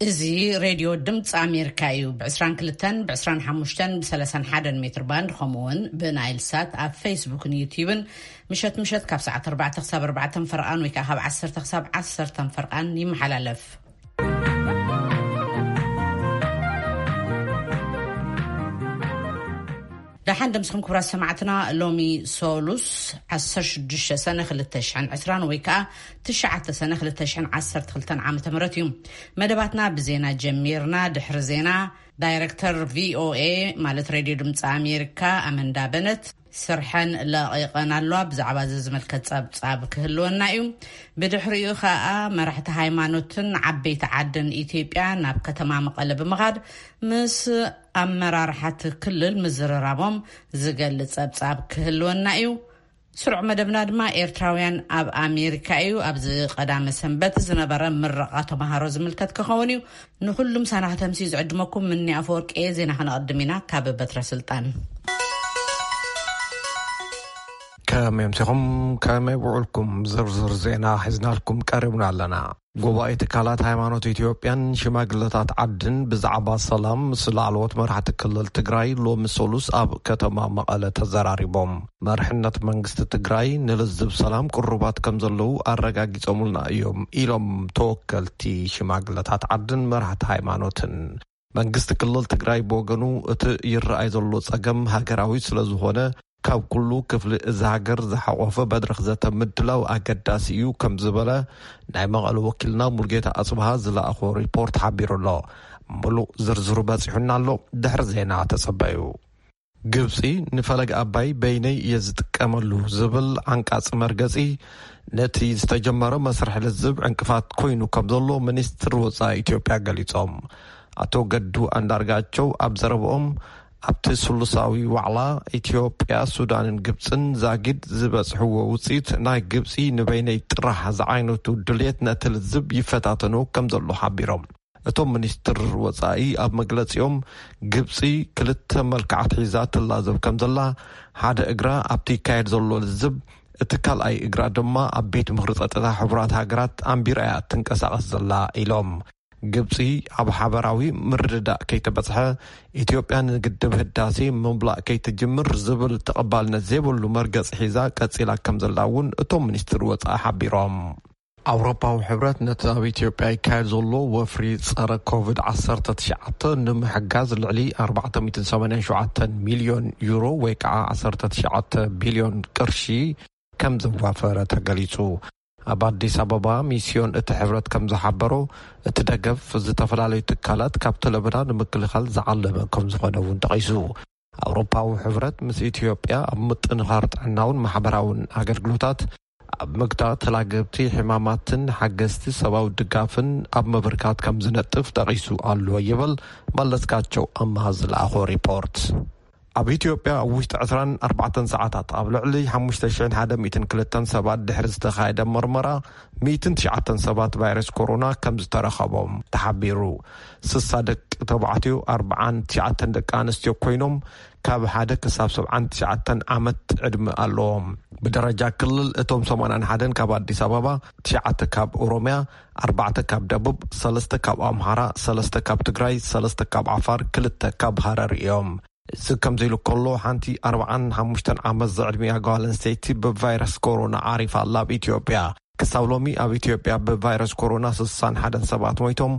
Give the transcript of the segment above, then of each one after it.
እዚ ሬድዮ ድምፂ ኣሜሪካ እዩ። ብ22፣ ብ25፣ ብ31 ሜትር ባንድ፣ ከምኡ እውን ብናይል ሳት ኣብ ፌስቡክን ዩቲዩብን ምሸት ምሸት ካብ ሰዓት ኣርባዕተ ክሳብ ኣርባዕተ ፈርቓን ወይ ከዓ ካብ ዓሰርተ ክሳብ ዓሰርተ ፈርቓን ይመሓላለፍ። ደሓን ደምስኹም ክቡራት ሰማዕትና። ሎሚ ሶሉስ ዓሰርተ ሽዱሽተ ሰነ ክልተ ሽሕን ዕስራን ወይ ከዓ ትሽዓተ ሰነ ክልተ ሽሕን ዓሰርተ ክልተን ዓመተ ምህረት እዩ። መደባትና ብዜና ጀሚርና። ድሕሪ ዜና ዳይረክተር ቪኦኤ ማለት ሬድዮ ድምፂ ኣሜሪካ ኣመንዳ በነት ስርሐን ለቒቐን ኣለዋ። ብዛዕባ እዚ ዝምልከት ጸብጻብ ክህልወና እዩ። ብድሕሪኡ ከኣ መራሕቲ ሃይማኖትን ዓበይቲ ዓድን ኢትዮጵያ ናብ ከተማ መቐለ ብምኻድ ምስ ኣመራርሓቲ ክልል ምዝርራቦም ዝገልጽ ጸብጻብ ክህልወና እዩ። ስሩዕ መደብና ድማ ኤርትራውያን ኣብ ኣሜሪካ እዩ። ኣብዚ ቀዳመ ሰንበት ዝነበረ ምረቓ ተምሃሮ ዝምልከት ክኸውን እዩ። ንኹሉም ሳናኻ ተምሲ ዝዕድመኩም ምኒ ኣፈወርቂ እየ። ዜና ከነቐድም ኢና ካብ በትረ ስልጣን። ከመይ ኣምሲኹም፣ ከመይ ውዕልኩም? ዝርዝር ዜና ሒዝናልኩም ቀሪብና ኣለና። ጉባኤ ትካላት ሃይማኖት ኢትዮጵያን ሽማግለታት ዓድን ብዛዕባ ሰላም ምስ ላዕለዎት መራሕቲ ክልል ትግራይ ሎሚ ሰሉስ ኣብ ከተማ መቐለ ተዘራሪቦም። መርሕነት መንግስቲ ትግራይ ንልዝብ ሰላም ቅሩባት ከም ዘለዉ ኣረጋጊጾምልና እዮም ኢሎም ተወከልቲ ሽማግለታት ዓድን መራሕቲ ሃይማኖትን። መንግስቲ ክልል ትግራይ ብወገኑ እቲ ይረኣይ ዘሎ ጸገም ሃገራዊ ስለ ዝኾነ ካብ ኩሉ ክፍሊ እዚ ሃገር ዝሓቆፈ መድረኽ ዘተ ምድላው ኣገዳሲ እዩ ከም ዝበለ ናይ መቐለ ወኪልና ሙልጌታ ኣጽብሃ ዝለኣኾ ሪፖርት ሓቢሩ ኣሎ። ምሉእ ዝርዝሩ በጺሑና ኣሎ። ድሕሪ ዜና ተጸበዩ። ግብጺ ንፈለግ ኣባይ በይነይ እየ ዝጥቀመሉ ዝብል ዓንቃጽ መርገጺ ነቲ ዝተጀመረ መስርሕ ልዝብ ዕንቅፋት ኮይኑ ከም ዘሎ ሚኒስትር ወጻኢ ኢትዮጵያ ገሊጾም። ኣቶ ገዱ ኣንዳርጋቸው ኣብ ዘረብኦም ኣብቲ ስሉሳዊ ዋዕላ ኢትዮጵያ፣ ሱዳንን ግብጽን ዛጊድ ዝበጽሕዎ ውጽኢት ናይ ግብጺ ንበይነይ ጥራሕ ዝዓይነቱ ድልየት ነቲ ልዝብ ይፈታተኖ ከም ዘሎ ሓቢሮም። እቶም ሚኒስትር ወጻኢ ኣብ መግለጺኦም ግብጺ ክልተ መልክዓት ሒዛ ትላዘብ ከም ዘላ፣ ሓደ እግራ ኣብቲ ይካየድ ዘሎ ልዝብ፣ እቲ ካልኣይ እግራ ድማ ኣብ ቤት ምኽሪ ጸጥታ ሕቡራት ሃገራት ኣንቢራ እያ ትንቀሳቐስ ዘላ ኢሎም። ግብጺ ኣብ ሓበራዊ ምርድዳእ ከይተበጽሐ ኢትዮጵያ ንግድብ ህዳሴ ምምላእ ከይትጅምር ዝብል ተቐባልነት ዘይብሉ መርገጺ ሒዛ ቀጺላ ከም ዘላ እውን እቶም ሚኒስትር ወጻኢ ሓቢሮም። ኣውሮፓዊ ሕብረት ነቲ ኣብ ኢትዮጵያ ይካየድ ዘሎ ወፍሪ ጸረ ኮቪድ ዓሰርተ ትሽዓተ ንምሕጋዝ ልዕሊ ኣርባዕተ ሚእትን ሰማንያን ሸውዓተን ሚልዮን ዩሮ ወይ ከዓ ዓሰርተ ትሽዓተ ቢልዮን ቅርሺ ከም ዘዋፈረ ተገሊጹ። ኣብ ኣዲስ ኣበባ ሚስዮን እቲ ሕብረት ከም ዝሓበሮ፣ እቲ ደገፍ ዝተፈላለዩ ትካላት ካብቲ ለበዳ ንምክልኻል ዝዓለመ ከም ዝኾነ እውን ጠቒሱ። ኣውሮፓዊ ሕብረት ምስ ኢትዮጵያ ኣብ ምጥንኻር ጥዕናውን ማሕበራውን ኣገልግሎታት፣ ኣብ ምግታት ተላገብቲ ሕማማትን ሓገዝቲ ሰብኣዊ ድጋፍን ኣብ ምብርካት ከም ዝነጥፍ ጠቒሱ ኣሎ ይብል መለስካቸው ኣምሃ ዝለኣኾ ሪፖርት። ኣብ ኢትዮጵያ ኣብ ውሽጢ ዕስራን ኣርባዕተን ሰዓታት ኣብ ልዕሊ ሓሙሽተ ሽሕን ሓደ ሚእትን ክልተን ሰባት ድሕሪ ዝተኻየደ መርመራ፣ ሚእትን ትሽዓተን ሰባት ቫይረስ ኮሮና ከም ዝተረኸቦም ተሓቢሩ። ስሳ ደቂ ተባዕትዮ፣ ኣርባዓን ትሽዓተን ደቂ ኣንስትዮ ኮይኖም ካብ ሓደ ክሳብ ሰብዓን ትሽዓተን ዓመት ዕድመ ኣለዎም። ብደረጃ ክልል እቶም ሰማንያን ሓደን ካብ ኣዲስ ኣበባ፣ ትሽዓተ ካብ ኦሮሚያ፣ ኣርባዕተ ካብ ደቡብ፣ ሰለስተ ካብ ኣምሃራ፣ ሰለስተ ካብ ትግራይ፣ ሰለስተ ካብ ዓፋር፣ ክልተ ካብ ሃረር እዮም። እዚ ከምዚ ኢሉ ከሎ፣ ሓንቲ ኣርባዓን ሓሙሽተን ዓመት ዝዕድሚያ ጓል ኣንስተይቲ ብቫይረስ ኮሮና ዓሪፋ ኣላ ኣብ ኢትዮጵያ። ክሳብ ሎሚ ኣብ ኢትዮጵያ ብቫይረስ ኮሮና ስሳን ሓደን ሰባት ሞይቶም፣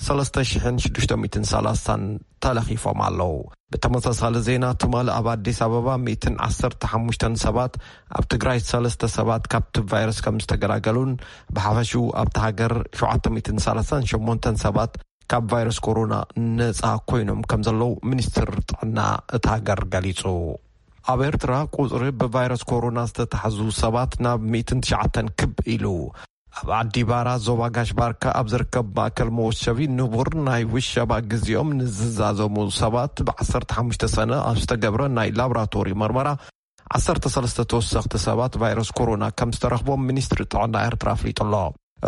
ሰለስተ ሽሕን ሽዱሽተ ሚእትን ሰላሳን ተለኺፎም ኣለዉ። ብተመሳሳሊ ዜና፣ ትማሊ ኣብ ኣዲስ ኣበባ ሚእትን ዓሰርተ ሓሙሽተን ሰባት፣ ኣብ ትግራይ ሰለስተ ሰባት ካብቲ ቫይረስ ከም ዝተገላገሉን፣ ብሓፈሽኡ ኣብቲ ሃገር ሸውዓተ ሚእትን ሰላሳን ሸሞንተን ሰባት ካብ ቫይረስ ኮሮና ነጻ ኮይኖም ከም ዘለዉ ሚኒስትር ጥዕና እታ ሃገር ገሊጹ። ኣብ ኤርትራ ቁጽሪ ብቫይረስ ኮሮና ዝተታሕዙ ሰባት ናብ ሚእትን ትሽዓተን ክብ ኢሉ። ኣብ ዓዲ ባራ ዞባ ጋሽ ባርካ ኣብ ዝርከብ ማእከል መወሸቢ ንቡር ናይ ውሸባ ግዜኦም ንዝዛዘሙ ሰባት ብ ዓሰርተ ሓሙሽተ ሰነ ኣብ ዝተገብረ ናይ ላብራቶሪ መርመራ ዓሰርተ ሰለስተ ተወሰኽቲ ሰባት ቫይረስ ኮሮና ከም ዝተረኽቦም ሚኒስትሪ ጥዕና ኤርትራ ኣፍሊጡ ኣሎ።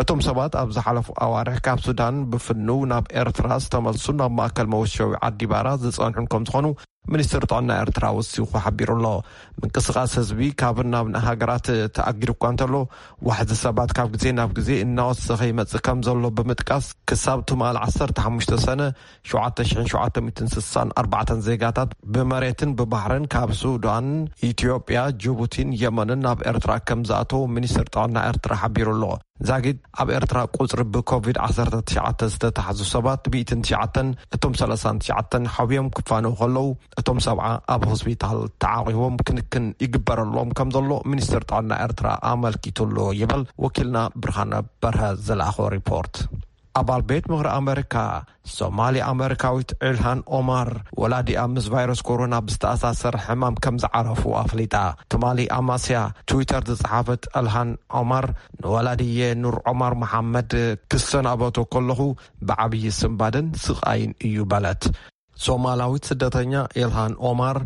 እቶም ሰባት ኣብ ዝሓለፉ ኣዋርሕ ካብ ሱዳን ብፍንው ናብ ኤርትራ ዝተመልሱን ኣብ ማእከል መወሸቢ ዓዲ ባራ ዝጸንሑን ከም ዝኾኑ ሚኒስትር ጥዕና ኤርትራ ወሲኹ ሓቢሩ ኣሎ። ምንቅስቓስ ህዝቢ ካብ ናብ ሃገራት ተኣጊዱ እኳ እንተሎ፣ ዋሕዚ ሰባት ካብ ግዜ ናብ ግዜ እናወሰኸ ይመጽእ ከም ዘሎ ብምጥቃስ፣ ክሳብ ትማል ዓሰርተ ሓሙሽተ ሰነ ሸውዓተ ሽሕን ሸውዓተ ሚእትን ስሳን ኣርባዕተን ዜጋታት ብመሬትን ብባሕርን ካብ ሱዳን፣ ኢትዮጵያ፣ ጅቡቲን የመንን ናብ ኤርትራ ከም ዝኣተዉ ሚኒስትር ጥዕና ኤርትራ ሓቢሩ ኣሎ። ዛጊድ ኣብ ኤርትራ ቁጽሪ ብኮቪድ ዓሰርተ ትሽዓተ ዝተታሕዙ ሰባት ሚእትን ትሽዓተን፣ እቶም ሰላሳን ትሽዓተን ሓውዮም ክፋነው ከለዉ፣ እቶም ሰብዓ ኣብ ሆስፒታል ተዓቂቦም ክንክን ይግበረሎም ከም ዘሎ ሚኒስትር ጥዕና ኤርትራ ኣመልኪቱ ኣሎ ይብል ወኪልና ብርሃነ በርሀ ዝለኣኾ ሪፖርት። ኣባል ቤት ምኽሪ ኣመሪካ ሶማሊ ኣመሪካዊት ኢልሃን ኦማር፣ ወላዲኣ ምስ ቫይረስ ኮሮና ብዝተኣሳሰር ሕማም ከም ዝዓረፉ ኣፍሊጣ። ትማሊ ኣማስያ ትዊተር ዝጸሓፈት ኢልሃን ኦማር፣ ንወላዲየ ኑር ኦማር መሓመድ ክሰናበቶ ከለኹ ብዓብዪ ስንባደን ስቓይን እዩ በለት። ሶማላዊት ስደተኛ ኢልሃን ኦማር፣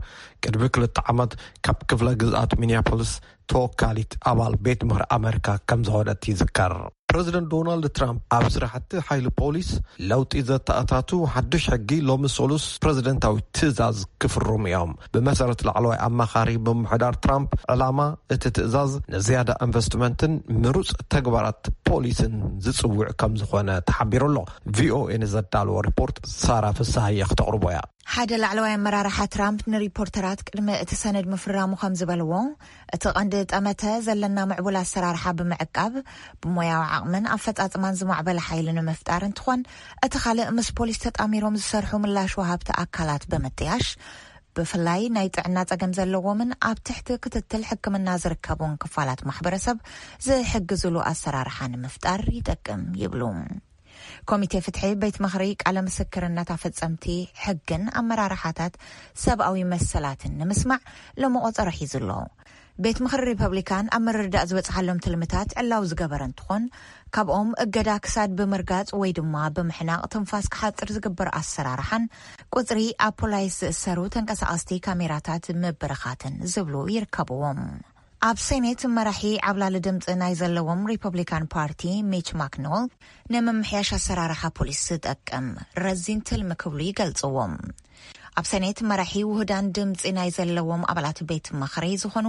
ቅድሚ ክልተ ዓመት ካብ ክፍለ ግዝኣት ሚኒያፖሊስ ተወካሊት ኣባል ቤት ምኽሪ ኣመሪካ ከም ዝኾነት ይዝከር። ፕረዚደንት ዶናልድ ትራምፕ ኣብ ስራሕቲ ሓይሊ ፖሊስ ለውጢ ዘተኣታቱ ሓድሽ ሕጊ ሎሚ ሰሉስ ፕረዚደንታዊ ትእዛዝ ክፍርሙ እዮም። ብመሰረት ላዕለዋይ ኣማኻሪ ምምሕዳር ትራምፕ፣ ዕላማ እቲ ትእዛዝ ንዝያዳ ኢንቨስትመንትን ምሩፅ ተግባራት ፖሊስን ዝፅውዕ ከም ዝኾነ ተሓቢሩ ኣሎ። ቪኦኤ ንዘዳለዎ ሪፖርት ሳራ ፍስሃየ ክተቕርቦ እያ። ሓደ ላዕለዋይ ኣመራርሓ ትራምፕ ንሪፖርተራት ቅድሚ እቲ ሰነድ ምፍራሙ ከም ዝበልዎ፣ እቲ ቀንዲ ጠመተ ዘለና ምዕቡል ኣሰራርሓ ብምዕቃብ፣ ብሞያዊ ዓቕምን ኣፈጻጽማን ዝማዕበለ ሓይሊ ንምፍጣር እንትኾን፣ እቲ ካልእ ምስ ፖሊስ ተጣሚሮም ዝሰርሑ ምላሽ ወሃብቲ ኣካላት ብምጥያሽ፣ ብፍላይ ናይ ጥዕና ጸገም ዘለዎምን ኣብ ትሕቲ ክትትል ሕክምና ዝርከቡን ክፋላት ማሕበረሰብ ዝሕግዝሉ ኣሰራርሓ ንምፍጣር ይጠቅም ይብሉ። ኮሚቴ ፍትሒ ቤት ምኽሪ ቃለ ምስክርነት ኣፈጸምቲ ሕግን ኣመራርሓታት ሰብኣዊ መሰላትን ንምስማዕ ሎሚ ቆጸሮ ሒዙ ኣሎ። ቤት ምኽሪ ሪፐብሊካን ኣብ ምርድዳእ ዝበጽሓሎም ትልምታት ዕላዊ ዝገበረ እንትኾን፣ ካብኦም እገዳ ክሳድ ብምርጋጽ ወይ ድማ ብምሕናቕ ትንፋስ ክሓጽር ዝግበር ኣሰራርሓን ቁጽሪ ኣብ ፖላይስ ዝእሰሩ ተንቀሳቐስቲ ካሜራታት ምብርኻትን ዝብሉ ይርከብዎም። ኣብ ሴኔት መራሒ ዓብላሊ ድምፂ ናይ ዘለዎም ሪፐብሊካን ፓርቲ ሚች ማክኖል፣ ንምምሕያሽ ኣሰራርሓ ፖሊስ ዝጠቅም ረዚን ትልሚ ክብሉ ይገልፅዎም። ኣብ ሴኔት መራሒ ውህዳን ድምፂ ናይ ዘለዎም ኣባላት ቤት ምኽሪ ዝኾኑ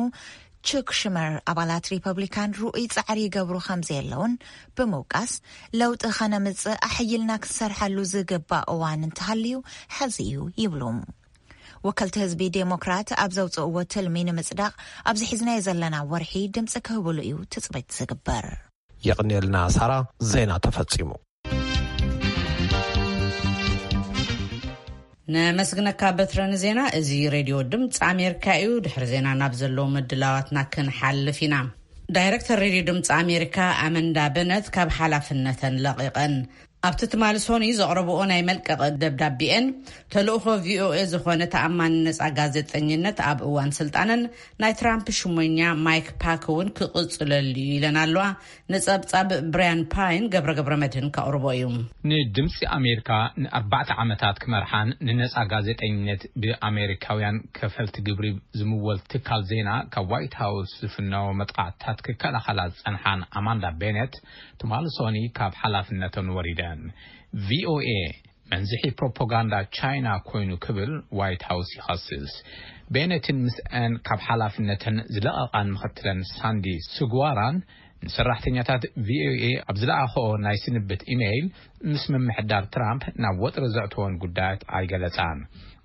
ቹክ ሽመር፣ ኣባላት ሪፐብሊካን ርኡይ ጻዕሪ ይገብሩ ከም ዘየለውን ብምውቃስ፣ ለውጢ ከነምጽእ ኣሕይልና ክንሰርሐሉ ዝግባእ እዋን እንተሃልዩ፣ ሕዚ እዩ ይብሉ። ወከልቲ ህዝቢ ዴሞክራት ኣብ ዘውፅእዎ ትልሚ ንምፅዳቕ፣ ኣብዚ ሒዝናዮ ዘለና ወርሒ ድምፂ ክህብሉ እዩ ትፅቢት ዝግበር። የቕንየልና ሳራ። ዜና ተፈጺሙ። ነመስግነካ በትረ ንዜና። እዚ ሬድዮ ድምፂ ኣሜሪካ እዩ። ድሕሪ ዜና ናብ ዘለዉ ምድላዋትና ክንሓልፍ ኢና። ዳይሬክተር ሬድዮ ድምፂ ኣሜሪካ ኣመንዳ በነት ካብ ሓላፍነተን ለቒቐን። ኣብቲ ትማሊ ሶኒ ዘቕረብኦ ናይ መልቀቒ ደብዳቤኤን፣ ተልእኾ ቪኦኤ ዝኾነ ተኣማኒ ነጻ ጋዜጠኝነት ኣብ እዋን ስልጣነን ናይ ትራምፕ ሽሞኛ ማይክ ፓክ እውን ክቕጽለሉ እዩ ኢለን ኣለዋ። ንጸብጻብ ብራያን ፓይን ገብረ ገብረ መድህን ከቕርቦ እዩ። ንድምፂ ኣሜሪካ ንኣርባዕተ ዓመታት ክመርሓን ንነፃ ጋዜጠኝነት ብኣሜሪካውያን ከፈልቲ ግብሪ ዝምወል ትካል ዜና ካብ ዋይት ሃውስ ዝፍነዎ መጥቃዕትታት ክከላኸላ ዝፀንሓን ኣማንዳ ቤኔት፣ ትማሊ ሶኒ ካብ ሓላፍነተን ወሪደን። ቪኦኤ መንዝሒ ፕሮፓጋንዳ ቻይና ኮይኑ ክብል ዋይት ሃውስ ይኸስስ። ቤነትን ምስአን ካብ ሓላፍነተን ዝለቐቓን ምኽትለን ሳንዲ ስጓራን ንሰራሕተኛታት ቪኦኤ ኣብ ዝለኣኸኦ ናይ ስንብት ኢሜይል፣ ምስ ምምሕዳር ትራምፕ ናብ ወጥሪ ዘእተወን ጉዳያት ኣይገለጻን።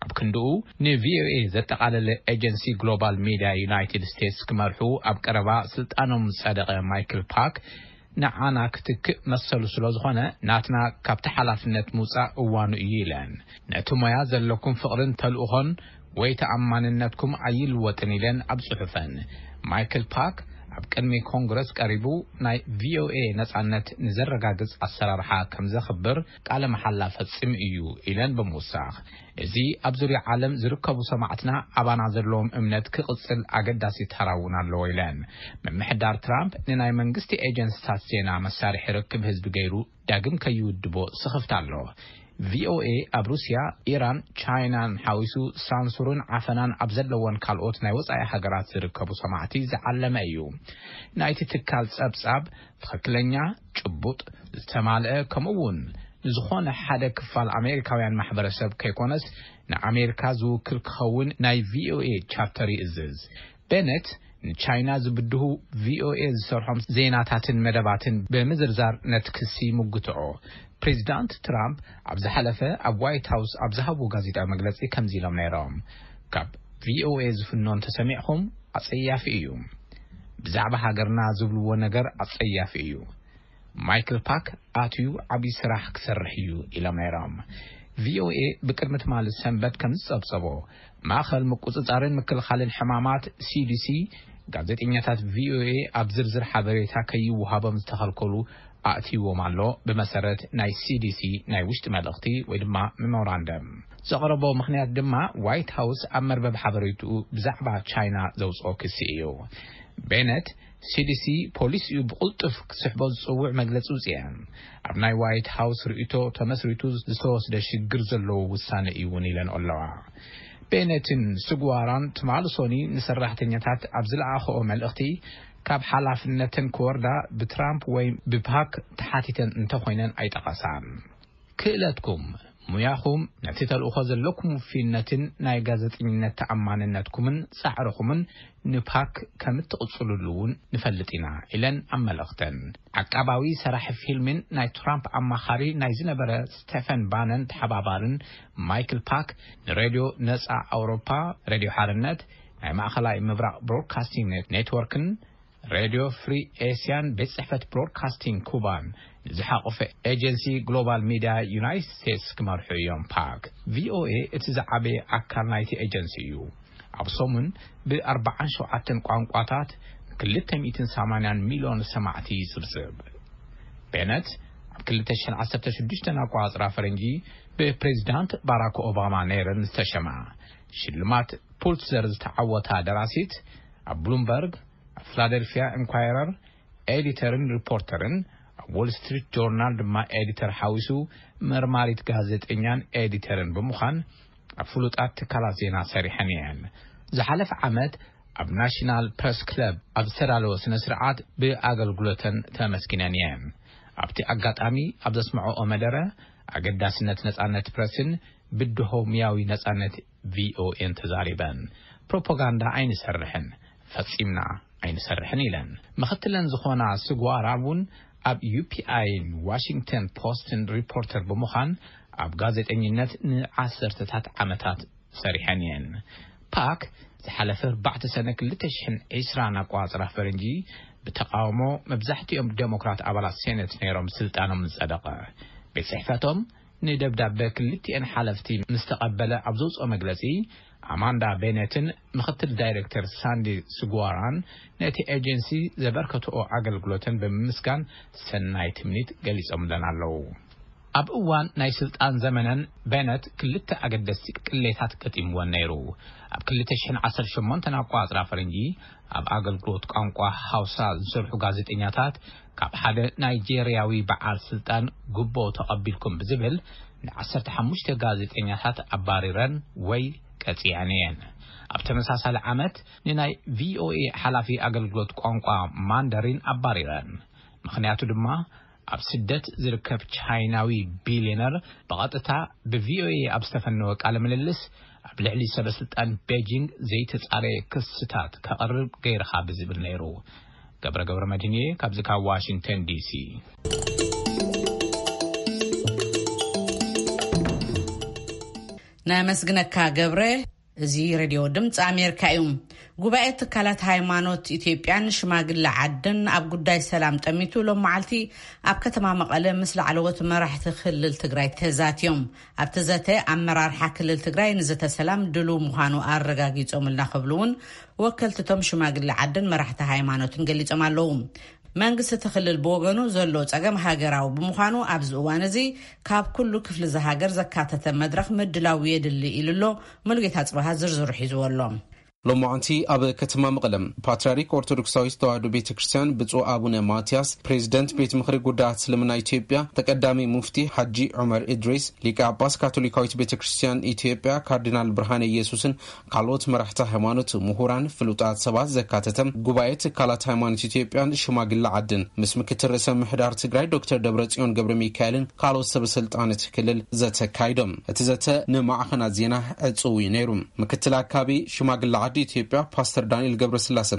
ኣብ ክንድኡ፣ ንቪኦኤ ዘጠቓለለ ኤጀንሲ ግሎባል ሚድያ ዩናይትድ ስቴትስ ክመርሑ ኣብ ቀረባ ስልጣኖም ዝጸደቐ ማይክል ፓክ፣ ንዓና ክትክእ መሰሉ ስለ ዝኾነ፣ ናትና ካብቲ ሓላፍነት ምውጻእ እዋኑ እዩ ኢለን። ነቲ ሞያ ዘለኩም ፍቕርን ተልእኾን ወይ ተኣማንነትኩም ኣይልወጥን ኢለን ኣብ ጽሑፈን። ማይክል ፓክ ኣብ ቅድሚ ኮንግረስ ቀሪቡ፣ ናይ ቪኦኤ ነጻነት ንዘረጋግጽ ኣሰራርሓ ከም ዘኽብር ቃለ መሓላ ፈጺሙ እዩ ኢለን ብምውሳኽ፣ እዚ ኣብ ዙርያ ዓለም ዝርከቡ ሰማዕትና ኣባና ዘለዎም እምነት ክቕጽል ኣገዳሲ ተራ እውን ኣለዎ ኢለን። ምምሕዳር ትራምፕ ንናይ መንግስቲ ኤጀንስታት ዜና መሳርሒ ርክብ ህዝቢ ገይሩ ዳግም ከይውድቦ ስኽፍታ ኣሎ። ቪኦኤ ኣብ ሩስያ፣ ኢራን፣ ቻይናን ሓዊሱ ሳንሱርን ዓፈናን ኣብ ዘለወን ካልኦት ናይ ወጻኢ ሃገራት ዝርከቡ ሰማዕቲ ዝዓለመ እዩ። ናይቲ ትካል ጸብጻብ ትኽክለኛ፣ ጭቡጥ፣ ዝተማልአ፣ ከምኡ እውን ንዝኾነ ሓደ ክፋል ኣሜሪካውያን ማሕበረሰብ ከይኮነስ፣ ንኣሜሪካ ዝውክል ክኸውን ናይ ቪኦኤ ቻርተር ይእዝዝ። ቤነት ንቻይና ዝብድሁ ቪኦኤ ዝሰርሖም ዜናታትን መደባትን ብምዝርዛር ነቲ ክሲ ይምጉትኦ። ፕሬዚዳንት ትራምፕ ኣብ ዝሓለፈ ኣብ ዋይት ሃውስ ኣብ ዝሃብዎ ጋዜጣዊ መግለጺ ከምዚ ኢሎም ነይሮም፣ ካብ ቪኦኤ ዝፍኖ እንተሰሚዕኹም ኣጸያፊ እዩ። ብዛዕባ ሃገርና ዝብልዎ ነገር ኣጸያፊ እዩ። ማይክል ፓክ ኣትዩ ዓብዪ ስራሕ ክሰርሕ እዩ ኢሎም ነይሮም። ቪኦኤ ብቅድሚ ትማሊ ሰንበት ከም ዝጸብጸቦ፣ ማእኸል ምቁጽጻርን ምክልኻልን ሕማማት ሲዲሲ፣ ጋዜጠኛታት ቪኦኤ ኣብ ዝርዝር ሓበሬታ ከይወሃቦም ዝተኸልከሉ ኣእትይዎም ኣሎ፣ ብመሰረት ናይ ሲዲሲ ናይ ውሽጢ መልእኽቲ ወይ ድማ ሜሞራንደም። ዘቕረቦ ምኽንያት ድማ ዋይት ሃውስ ኣብ መርበብ ሓበሬትኡ ብዛዕባ ቻይና ዘውፅኦ ክሲ እዩ። ቤነት፣ ሲዲሲ ፖሊሲኡ ብቕልጡፍ ክስሕቦ ዝጽውዕ መግለጺ ውጽአን። ኣብ ናይ ዋይት ሃውስ ርእይቶ ተመስሪቱ ዝተወስደ ሽግር ዘለዎ ውሳነ እዩ እውን ኢለን ኣለዋ። ቤነትን ስጉዋራን ትማሊ ሶኒ ንሰራሕተኛታት ኣብ ዝለኣኸኦ መልእኽቲ፣ ካብ ሓላፍነተን ክወርዳ ብትራምፕ ወይ ብፓክ ተሓቲተን እንተኾይነን ኣይጠቐሳን። ክእለትኩም፣ ሙያኹም፣ ነቲ ተልእኾ ዘለኩም ውፊነትን ናይ ጋዜጠኝነት ተኣማንነትኩምን ጻዕርኹምን ንፓክ ከም እትቕጽሉሉ እውን ንፈልጥ ኢና ኢለን ኣብ መልእኽተን። ዓቃባዊ ሰራሒ ፊልምን ናይ ትራምፕ ኣማኻሪ ናይ ዝነበረ ስቴፈን ባነን ተሓባባርን ማይክል ፓክ ንሬድዮ ነጻ ኣውሮፓ፣ ሬድዮ ሓርነት፣ ናይ ማእኸላይ ምብራቕ ብሮድካስቲንግ ኔት-፣ ኔትወርክን ሬድዮ ፍሪ ኤስያን ቤት ጽሕፈት ብሮድካስቲንግ ኩባን ንዝሓቆፈ ኤጀንሲ ግሎባል ሚድያ ዩናይትድ ስቴትስ ክመርሑ እዮም። ፓክ ቪኦኤ እቲ ዝዓበየ ኣካል ናይቲ ኤጀንሲ እዩ። ኣብ ሰሙን ብ ኣርባዓን ሸውዓተን ቋንቋታት ክልተ ሚእትን ሰማንያን ሚልዮን ሰማዕቲ ይጽብጽብ። ቤነት ኣብ ክልተ ሽሕን ዓሰርተ ሽዱሽተን ኣቆጻጽራ ፈረንጂ ብፕሬዚዳንት ባራክ ኦባማ ነይረን ዝተሸማ ሽልማት ፑልትዘር ዝተዓወታ ደራሲት፣ ኣብ ብሉምበርግ፣ ኣብ ፊላደልፊያ ኢንኳይረር ኤዲተርን ሪፖርተርን፣ ኣብ ዎል ስትሪት ጆርናል ድማ ኤዲተር ሓዊሱ መርማሪት ጋዜጠኛን ኤዲተርን ብምዃን ኣብ ፍሉጣት ትካላት ዜና ሰሪሐን እየን። ዝሓለፈ ዓመት ኣብ ናሽናል ፕረስ ክለብ ኣብ ዝተዳለወ ስነ ስርዓት ብኣገልግሎተን ተመስጊነን እየን። ኣብቲ ኣጋጣሚ ኣብ ዘስምዐኦ መደረ፣ ኣገዳስነት ነጻነት ፕረስን ብድሆ ሙያዊ ነጻነት ቪኦኤን ተዛሪበን፣ ፕሮፓጋንዳ ኣይንሰርሕን፣ ፈጺምና ኣይንሰርሕን ኢለን። ምኽትለን ዝኾና ስጓራ እውን ኣብ ዩፒኣይን ዋሽንግተን ፖስትን ሪፖርተር ብምዃን ኣብ ጋዜጠኝነት ንዓሰርተታት ዓመታት ሰሪሐን እየን። ፓክ ዝሓለፈ ኣርባዕተ ሰነ ክልተ ሽሕን ዕስራን ኣቆጻጽራ ፈረንጂ ብተቃውሞ መብዛሕትኦም ዴሞክራት ኣባላት ሴኔት ነይሮም ስልጣኖም ዝጸደቐ። ቤት ጽሕፈቶም ንደብዳበ ክልቲኤን ሓለፍቲ ምስ ተቐበለ ኣብ ዘውፅኦ መግለፂ፣ ኣማንዳ ቤኔትን ምኽትል ዳይሬክተር ሳንዲ ስጓራን ነቲ ኤጀንሲ ዘበርከትኦ ኣገልግሎተን ብምምስጋን ሰናይ ትምኒት ገሊጾምለን ኣለዉ። ኣብ እዋን ናይ ስልጣን ዘመነን ቤነት ክልተ ኣገደስቲ ቅሌታት ገጢምወን ነይሩ። ኣብ ክልተ ሽሕን ዓሰርተ ሸሞንተን ኣቆጻጽራ ፈረንጂ ኣብ ኣገልግሎት ቋንቋ ሃውሳ ዝሰርሑ ጋዜጠኛታት ካብ ሓደ ናይጄርያዊ በዓል ስልጣን ጉቦ ተቐቢልኩም ብዝብል ንዓሰርተ ሓሙሽተ ጋዜጠኛታት ኣባሪረን ወይ ቀጺዐን እየን። ኣብ ተመሳሳሊ ዓመት ንናይ ቪኦኤ ሓላፊ ኣገልግሎት ቋንቋ ማንደሪን ኣባሪረን። ምኽንያቱ ድማ ኣብ ስደት ዝርከብ ቻይናዊ ቢልዮነር ብቐጥታ ብቪኦኤ ኣብ ዝተፈነወ ቃለ ምልልስ ኣብ ልዕሊ ሰበስልጣን ቤጂንግ ዘይተጻረየ ክስታት ከቕርብ ገይርኻ ብዝብል ነይሩ። ገብረ ገብረ መድህንየ ካብዚ ካብ ዋሽንግተን ዲሲ። ነመስግነካ ገብረ። እዚ ሬድዮ ድምፂ ኣሜሪካ እዩ። ጉባኤ ትካላት ሃይማኖት ኢትዮጵያን ሽማግለ ዓድን ኣብ ጉዳይ ሰላም ጠሚቱ ሎም መዓልቲ ኣብ ከተማ መቐለ ምስ ላዕለዎት መራሕቲ ክልል ትግራይ ተዛትዮም። ኣብቲ ዘተ ኣመራርሓ ክልል ትግራይ ንዘተ ሰላም ድሉው ምዃኑ ኣረጋጊጾምልና ክብሉ እውን ወከልትቶም ሽማግለ ዓድን መራሕቲ ሃይማኖትን ገሊጾም ኣለዉ። መንግስቲ እቲ ክልል ብወገኑ ዘሎ ጸገም ሃገራዊ ብምዃኑ ኣብዚ እዋን እዚ ካብ ኩሉ ክፍሊ እዚ ሃገር ዘካተተ መድረኽ ምድላው የድሊ ኢሉ ኣሎ። ሙሉጌታ ጽባሃ ዝርዝሩ ሒዝዎ ኣሎ። ሎማዓንቲ ኣብ ከተማ መቐለ ፓትርያርክ ኦርቶዶክሳዊት ተዋህዶ ቤተ ክርስቲያን ብፁዕ ኣቡነ ማትያስ፣ ፕሬዚደንት ቤት ምኽሪ ጉዳያት እስልምና ኢትዮጵያ፣ ተቀዳሚ ሙፍቲ ሓጂ ዑመር እድሪስ፣ ሊቀ ጳጳስ ካቶሊካዊት ቤተ ክርስቲያን ኢትዮጵያ ካርዲናል ብርሃነ ኢየሱስን ካልኦት መራሕቲ ሃይማኖት፣ ምሁራን፣ ፍሉጣት ሰባት ዘካተተ ጉባኤ ትካላት ሃይማኖት ኢትዮጵያን ሽማግለ ዓድን ምስ ምክትል ርእሰ ምሕዳር ትግራይ ዶክተር ደብረጽዮን ገብረ ሚካኤልን ካልኦት ሰበ ስልጣን እቲ ክልል ዘተ ኣካይዶም። እቲ ዘተ ንማዕኸናት ዜና ዕጽው እዩ ነይሩ። ምክትል ኣካቢ ሽማግለ ዓዲ ኢትዮጵያ ፓስተር ዳንኤል ገብረስላሰ፣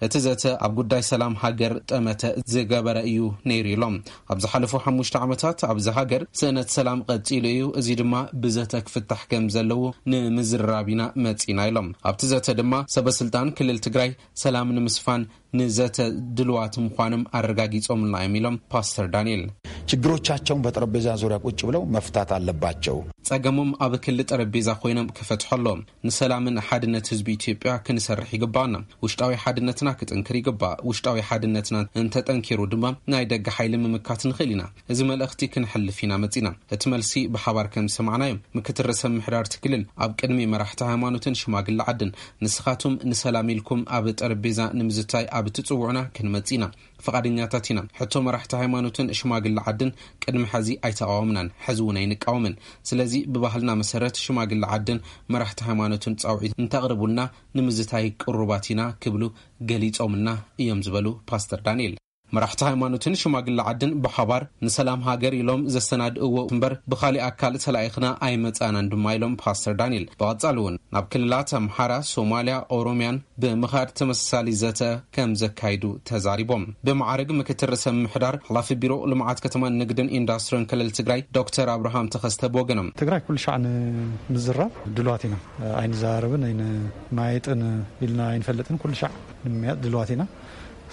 እቲ ዘተ ኣብ ጉዳይ ሰላም ሃገር ጠመተ ዝገበረ እዩ ነይሩ ኢሎም። ኣብ ዝሓለፉ ሓሙሽተ ዓመታት ኣብዚ ሃገር ስእነት ሰላም ቀጺሉ እዩ፣ እዚ ድማ ብዘተ ክፍታሕ ከም ዘለዎ ንምዝርራብ ኢና መጺና ኢሎም። ኣብቲ ዘተ ድማ ሰበ ስልጣን ክልል ትግራይ ሰላም ንምስፋን ንዘተ ድልዋት ምዃኖም ኣረጋጊጾምልና እዮም ኢሎም ፓስተር ዳንኤል። ችግሮቻቸውን በጠረጴዛ ዙሪያ ቁጭ ብለው መፍታት አለባቸው። ጸገሞም ኣብ ክሊ ጠረጴዛ ኮይኖም ክፈትሑ ኣለዎም። ንሰላምን ሓድነት ህዝቢ ኢትዮጵያ ክንሰርሕ ይግባና። ውሽጣዊ ሓድነትና ክጥንክር ይግባእ። ውሽጣዊ ሓድነትና እንተጠንኪሩ ድማ ናይ ደገ ሓይሊ ምምካት ንኽእል ኢና። እዚ መልእኽቲ ክንሕልፍ ኢና መጺና። እቲ መልሲ ብሓባር ከም ዝሰማዕናዮ፣ ምክትል ርእሰ ምሕዳር እቲ ክልል ኣብ ቅድሚ መራሕቲ ሃይማኖትን ሽማግለ ዓድን፣ ንስኻቱም ንሰላም ኢልኩም ኣብ ጠረጴዛ ንምዝታይ ኣብ ትጽውዑና ክንመጽእ ኢና። ፍቓደኛታት ኢና። ሕቶ መራሕቲ ሃይማኖትን ሽማግለ ዓድን ቅድሚ ሕዚ ኣይተቓወምናን፣ ሕዚ እውን ኣይንቃወምን። ስለዚ ብባህልና መሰረት ሽማግለ ዓድን መራሕቲ ሃይማኖትን ጻውዒት እንተቕርቡልና ንምዝታይ ቅሩባት ኢና ክብሉ ገሊጾምልና እዮም ዝበሉ ፓስተር ዳንኤል። መራሕቲ ሃይማኖትን ሽማግለ ዓድን ብሓባር ንሰላም ሃገር ኢሎም ዘሰናድእዎ እምበር ብኻሊእ ኣካል ተላኢኽና ኣይመጻእናን ድማ ኢሎም ፓስተር ዳንኤል። ብቐጻሊ እውን ናብ ክልላት ኣምሓራ፣ ሶማልያ፣ ኦሮምያን ብምኻድ ተመሳሳሊ ዘተ ከም ዘካይዱ ተዛሪቦም። ብማዕርግ ምክትል ርእሰ ምምሕዳር ሓላፊ ቢሮ ልምዓት ከተማን ንግድን ኢንዱስትሪን ክልል ትግራይ ዶክተር ኣብርሃም ተኸስተ ብወገኖም፣ ትግራይ ኩሉ ሻዕ ንምዝራብ ድልዋት ኢና። ኣይንዘራረብን ኣይንመያየጥን ኢልና ኣይንፈልጥን። ኩሉ ሻዕ ንምምያጥ ድልዋት ኢና።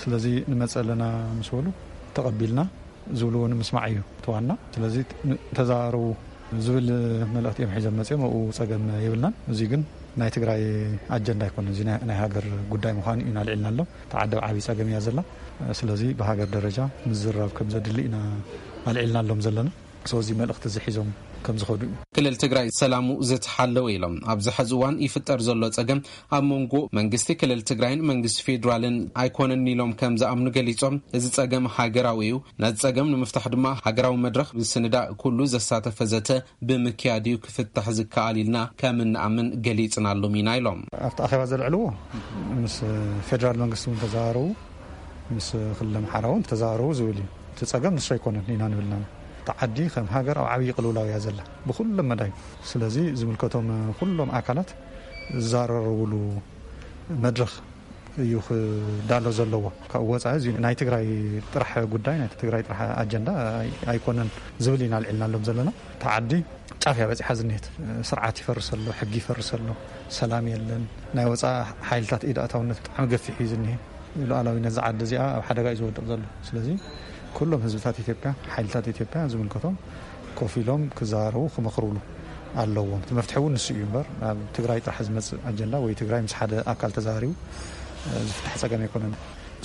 ስለዚ ንመጽእ ኣለና ምስ በሉ ተቐቢልና ዝብልዎ ንምስማዕ እዩ እቲ ዋና። ስለዚ ተዘራረቡ ዝብል መልእኽቲ እዮም ሒዞም መጺኦም። ኣብኡ ጸገም የብልናን። እዚ ግን ናይ ትግራይ ኣጀንዳ ኣይኮነን። እዚ ናይ፣ ናይ ሃገር ጉዳይ ምዃኑ ኢና ኣልዒልናሎም። እታ ዓዲ ኣብ ዓብዪ ጸገም እያ ዘላ። ስለዚ ብሃገር ደረጃ ምዝርራብ ከም ዘድሊ ኢና ኣልዒልናሎም ዘለና። ስለዚ መልእኽቲ እዚ ሒዞም ከም ዝኸዱ እዩ። ክልል ትግራይ ሰላሙ ዝተሓለወ ኢሎም፣ ኣብዚ ሕዚ እዋን ይፍጠር ዘሎ ጸገም ኣብ መንጎ መንግስቲ ክልል ትግራይን መንግስቲ ፌዴራልን ኣይኮነን ኢሎም ከም ዝኣምኑ ገሊጾም፣ እዚ ጸገም ሃገራዊ እዩ። ነዚ ጸገም ንምፍታሕ ድማ ሃገራዊ መድረኽ ምስንዳእ ኩሉ ዘሳተፈ ዘተ ብምክያድ እዩ ክፍታሕ ዝከኣል ኢልና ከም እንኣምን ገሊጽናሎም ኢና ኢሎም። ኣብቲ ኣኼባ ዘልዕልዎ ምስ ፌዴራል መንግስቲ እውን ተዘራረቡ፣ ምስ ክልል ኣምሓራ እውን ተዘራረቡ ዝብል እዩ። እቲ ጸገም ንሱ ኣይኮነን ኢና ንብል ኣለና። እታ ዓዲ ከም ሃገር ኣብ ዓብዪ ቅልውላው እያ ዘላ ብኩሎም መዳይ። ስለዚ ዝምልከቶም ኩሎም ኣካላት ዝዘራረቡሉ መድረኽ እዩ ክዳሎ ዘለዎ። ካብኡ ወፃኢ እዚ ናይ ትግራይ ጥራሕ ጉዳይ፣ ናይ ትግራይ ጥራሕ ኣጀንዳ ኣይ-፣ ኣይኮነን ዝብል ኢና ኣልዒልናሎም ዘለና። እታ ዓዲ ጫፍ እያ በፂሓ ዝኒሄት። ስርዓት ይፈርስ ኣሎ፣ ሕጊ ይፈርስ ኣሎ፣ ሰላም የለን። ናይ ወፃኢ ሓይልታት ኢድ ኣእታውነት ብጣዕሚ ገፊሕ እዩ ዝኒሄ። ሉዓላዊነት ዝዓዲ እዚኣ ኣብ ሓደጋ እዩ ዝወድቕ ዘሎ። ስለዚ ኩሎም ህዝብታት ኢትዮጵያ፣ ሓይልታት ኢትዮጵያ ዝምልከቶም ኮፍ ኢሎም ክዘራረቡ ክመኽሩሉ ኣለዎም። እቲ መፍትሒ እውን ንሱ እዩ እምበር ኣብ ትግራይ ጥራሕ ዝመፅእ ኣጀንዳ ወይ ትግራይ ምስ ሓደ ኣካል ተዘራሪቡ፣ እ፣ ዝፍታሕ ጸገም ኣይኮነን።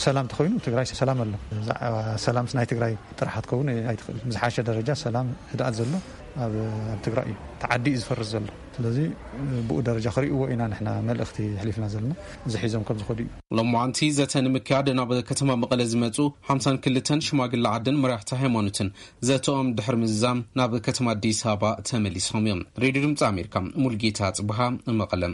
ሰላም ተኾይኑ ትግራይ ሰላም ኣሎ። ብዛዕባ ሰላምስ ናይ ትግራይ ጥራሕ ክትከውን ኣይትኽእል። ብዝሓሸ ደረጃ ሰላም ህድኣት ዘሎ ኣብ፣ ኣብ ትግራይ እዩ። እቲ ዓዲ እዩ ዝፈርስ ዘሎ። ስለዚ ብኡ ደረጃ ክርእይዎ ኢና ንሕና መልእኽቲ ኣሕሊፍና ዘለና። እዚ ሒዞም ከም ዝኸዱ እዩ። ሎማዓንቲ ዘተ ንምክያድ ናብ ከተማ መቐለ ዝመጹ ሓምሳን ክልተን ሽማግለ ዓድን መራሕቲ ሃይማኖትን ዘተኦም ድሕሪ ምዝዛም ናብ ከተማ ኣዲስ ኣበባ ተመሊሶም እዮም። ሬድዮ ድምፂ ኣሜሪካ፣ ሙልጌታ ጽብሃ፣ መቐለ።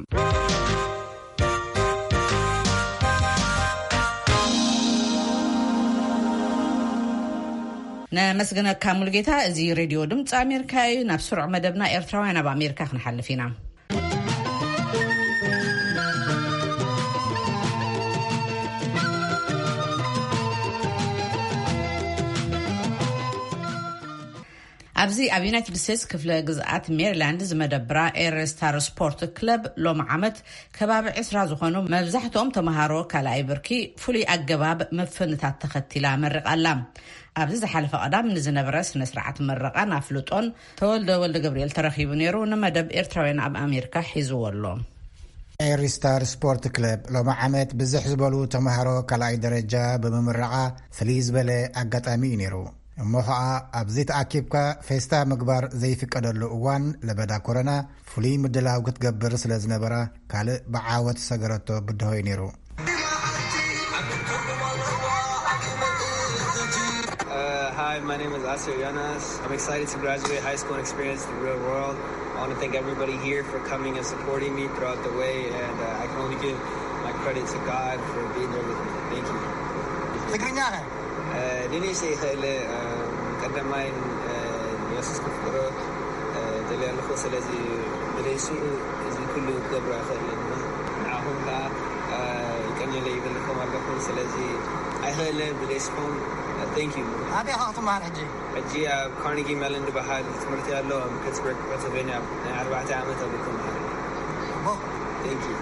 ነመስግነካ ሙልጌታ። እዚ ሬድዮ ድምፂ ኣሜሪካ እዩ። ናብ ስሩዕ መደብና ኤርትራውያን ኣብ ኣሜሪካ ክንሓልፍ ኢና። ኣብዚ ኣብ ዩናይትድ ስቴትስ ክፍለ ግዝኣት ሜሪላንድ ዝመደብራ ኤረስታር ስፖርት ክለብ ሎሚ ዓመት ከባቢ ዕስራ ዝኾኑ መብዛሕትኦም ተምሃሮ ካልኣይ ብርኪ ፍሉይ ኣገባብ መፈንታት ተኸቲላ መሪቓ ኣላ። ኣብዚ ዝሓለፈ ቀዳም ንዝነበረ ስነ ስርዓት ምረቓን ኣፍልጦን ተወልደ ወልደ ገብርኤል ተረኺቡ ነይሩ። ንመደብ ኤርትራውያን ኣብ ኣሜሪካ ሒዝዎ ኣሎ። ኤሪስታር ስፖርት ክለብ ሎሚ ዓመት ብዝሕ ዝበሉ ተምሃሮ ካልኣይ ደረጃ ብምምረቓ ፍልይ ዝበለ ኣጋጣሚ እዩ ነይሩ። እሞ ኸኣ ኣብዚ ተኣኪብካ ፌስታ ምግባር ዘይፍቀደሉ እዋን ለበዳ ኮረና ፍሉይ ምድላው ክትገብር ስለ ዝነበራ ካልእ ብዓወት ዝሰገረቶ ብድሆ እዩ ነይሩ። Uh, hi, my name is Asir Yanas. I'm excited to graduate high school and experience the real world. I want to thank everybody here for coming and supporting me throughout the way, and uh, I can only give my credit to God for being there with me. Thank you. ትግርኛ ኸ? Uh, ዲኒሽ ይኽእል፣ uh, ቀዳማይ፣ uh፣ የሱስ ክፍቅሮ፣ uh፣ ደልየ ኣለኹ። ስለዚ ብደይስኡ እዚ ኩሉ ክገብሮ ኣይኽእልን። ንዓኹም ከኣ፣ uh፣ ይቀንየለይ ይብልኩም ኣለኹ። ስለዚ ኣይኽእልን ብደይስኹም። Uh, thank you. ኣበይ ኢኻ ክትመሃር ሕጂ? ሕጂ ኣብ ካርኒጊ ሜለን ዝበሃል ትምህርቲ ኣሎ ኣብ ፒትስበርግ ፐንስልቬንያ፣ ናይ ኣርባዕተ ዓመት ኣብ ክመሃር። Thank you.